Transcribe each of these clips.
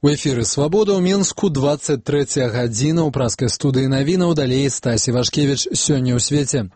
У эфіры «Свабода» ў Мінску 23 гадзіна ў праскай студыі навінаў, далей Стась Івашкевіч. Сёння ў свеце.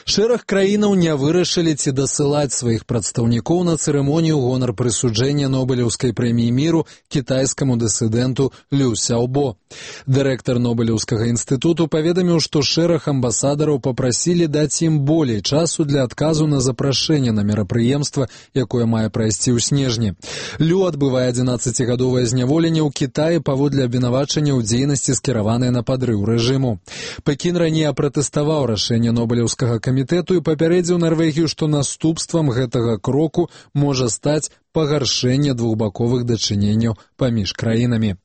Шэраг краінаў не вырашылі ці дасылаць сваіх прадстаўнікоў на цырымонію гонар прысуджэння Нобелеўскай прэміі міру кітайскаму дысідэнту Лю Сяобо. Дырэктар Нобелеўскага інстытуту паведаміў, што шэраг амбасадараў папрасілі даць ім болей часу для адказу на запрашэнне на мерапрыемства, якое мае прайсці ў снежні. Лю адбывае 11-гадовае зняволенне ў Кітаі паводле абвінавачання ў дзейнасці, скіраванай на падрыў рэжыму. Пекін раней апратэставаў рашэнне Нобелеўскага камітэту і папярэдзіў Нарвегію, што наступствам гэтага кроку можа стаць пагаршэнне двухбаковых дачыненняў паміж краінамі.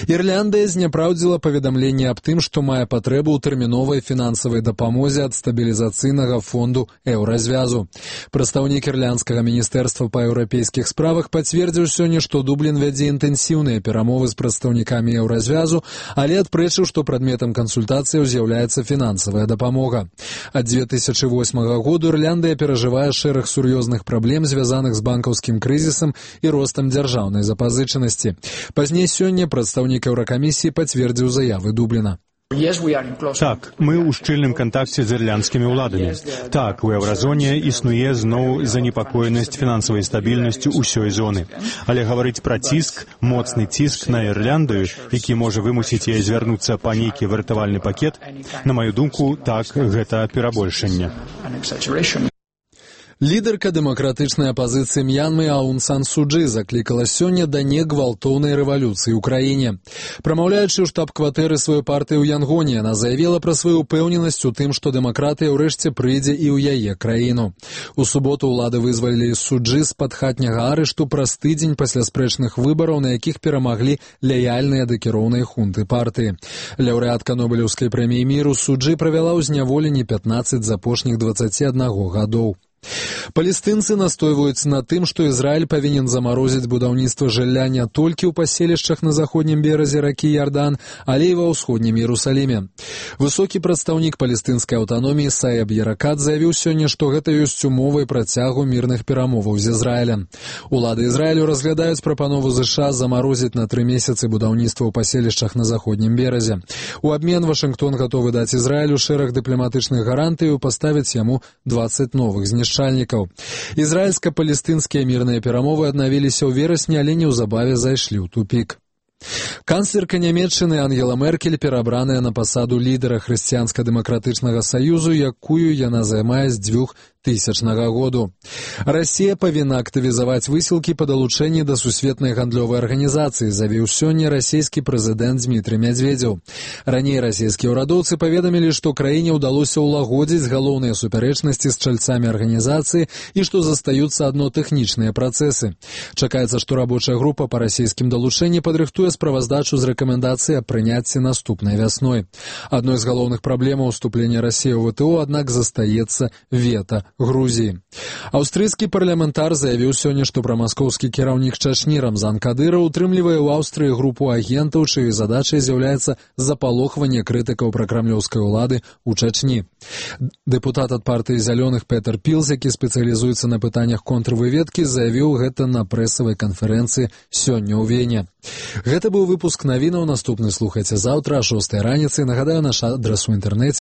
Ірландыя зняпраўдзіла паведамленне аб тым, што мае патрэбу ў тэрміновай фінансавай дапамозе ад стабілізацыйнага фонду еўразвязу. Прадстаўнік ірландскага міністэрства па еўрапейскіх справах пацвердзіў сёння, што Дублін вядзе інтэнсіўныя перамовы з прадстаўнікамі еўразвязу, але адпрэчыў, што прадметам кансультацыяў з'яўляецца фінансавая дапамога. Ад 2008 году Ірландыя перажывае шэраг сур'ёзных праблем, звязаных з банкаўскім крызісам і ростам дзяржаўнай запазычанасці. Пазней сёння прадстаўнік Еўракамісіі пацвердзіў заявы Дубліна. Так, мы ў шчыльным кантакце з ірландскімі ўладамі. Так, у еўразоне існуе зноў занепакоенасць фінансавай стабільнасцю ўсёй зоны. Але гаварыць пра ціск, моцны ціск на Ірландыю, які можа вымусіць яе звярнуцца па нейкі выратавальны пакет, на маю думку, так, гэта перабольшанне. Лідарка дэмакратычнай апазіцыі М'янмы Аун Сан Су Чжы заклікала сёння да негвалтоўнай рэвалюцыі ў краіне. Прамаўляючы ў штаб-кватэры сваёй партыі ў Янгоне, яна заявіла пра сваю ўпэўненасць у тым, што дэмакратыя ўрэшце прыйдзе і ў яе краіну. У суботу ўлады вызвалілі Су Чжы з-пад хатняга арышту праз тыдзень пасля спрэчных выбараў, на якіх перамаглі лаяльныя да кіроўнай хунты партыі. Лаўрэатка Нобелеўскай прэміі міру Су Чжы правяла ў зняволенні 15 з апошніх 21 гадоў. Палестынцы настойваюць на тым, што Ізраіль павінен замарозіць будаўніцтва жылля не толькі ў паселішчах на заходнім беразе ракі Ярдан, але і ва ўсходнім Іерусаліме. Высокі прадстаўнік палестынскай аўтаноміі Саеб Яракат заявіў сёння, што гэта ёсць умовай працягу мірных перамоваў з Ізраілем. Улады Ізраілю разглядаюць прапанову ЗША замарозіць на 3 месяцы будаўніцтва ў паселішчах на заходнім беразе. У абмен Вашынгтон гатовы даць Ізраілю шэраг дыпламатычных гарантый і паставіць яму 20 новых знішчальнікаў. Ізраільска-палестынскія мірныя перамовы аднавіліся ў верасні, але неўзабаве зайшлі ў тупік. Канцлерка Нямецчыны Ангела Меркель перабраная на пасаду лідара Хрысціянска-дэмакратычнага саюзу, якую яна займае з 2000 году. Расія павінна актывізаваць высілкі па далучэнні да сусветнай гандлёвай арганізацыі, заявіў сёння расійскі прэзідэнт Дмітрый Мядзведзеў. Раней расійскія ўрадоўцы паведамілі, што краіне ўдалося ўлагодзіць галоўныя супярэчнасці з чальцамі арганізацыі і што застаюцца адно тэхнічныя працэсы. Чакаецца, што рабочая група па расійскім далучэнні падрыхтуе справаздачу з рэкамендацыі аб прыняцці наступнай вясной. Адной з галоўных праблемаў уступлення Расіі ў ВТО, аднак, застаецца вета Грузіі. Аўстрыйскі парламентар заявіў сёння, што прамаскоўскі кіраўнік Чачні Рамзан Кадыраў утрымлівае ў Аўстрыі групу агентаў, чыёй задачай з'яўляецца запалохванне крытыкаў пракрамлёўскай улады ў Чачні. Дэпутат ад партыі зялёных Петер Пілз, які спецыялізуецца на пытаннях контрвыведкі, заявіў гэта на прэсавай канферэнцыі сёння ў Вене. Гэта быў выпуск навінаў, наступны слухайце заўтра о 6 раніцы. Нагадаю, наш адрас у інтэрнэце